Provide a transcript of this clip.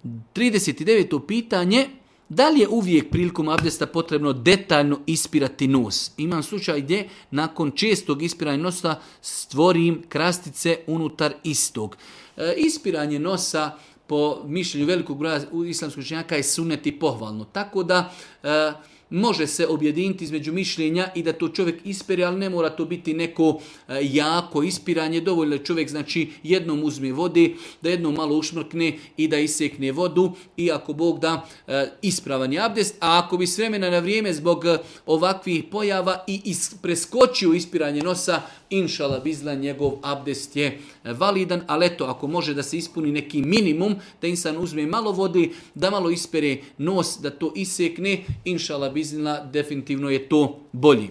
39. pitanje. Da li je uvijek prilikom abdesta potrebno detaljno ispirati nos? Imam slučaj gdje nakon čestog ispiranja nosa stvorim krastice unutar istog. Ispiranje nosa po mišljenju velikog broja islamskog učenjaka je sunnet i pohvalno. Tako da može se objediniti između mišljenja i da to čovjek ispere, ali ne mora to biti neko jako ispiranje. Dovoljno je čovjek jednom uzme vode, da jednom malo ušmrkne i da isekne vodu i ako Bog da ispravan je abdest. A ako bi s vremena na vrijeme zbog ovakvih pojava i preskočio ispiranje nosa, inšala bizla, njegov abdest je validan, ali eto, ako može da se ispuni neki minimum, da insan uzme malo vode, da malo ispere nos, da to isekne, inšala bizla, definitivno je to bolji.